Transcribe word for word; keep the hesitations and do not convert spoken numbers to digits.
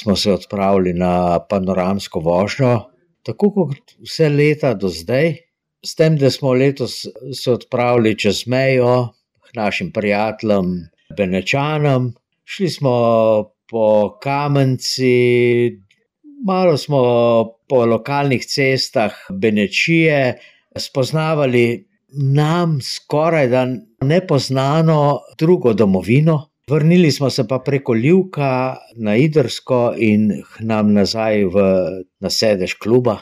smo se odpravili na panoramsko vožnjo, tako kot vse leta do zdaj, s tem, da smo letos se odpravili čez mejo k našim prijateljem Benečanom. Šli smo po Kamenci, malo smo po lokalnih cestah Benečije spoznavali nam skorajda nepoznano drugo domovino. Vrnili smo se pa preko Livka na Idrsko in k nam nazaj v, na sedež kluba.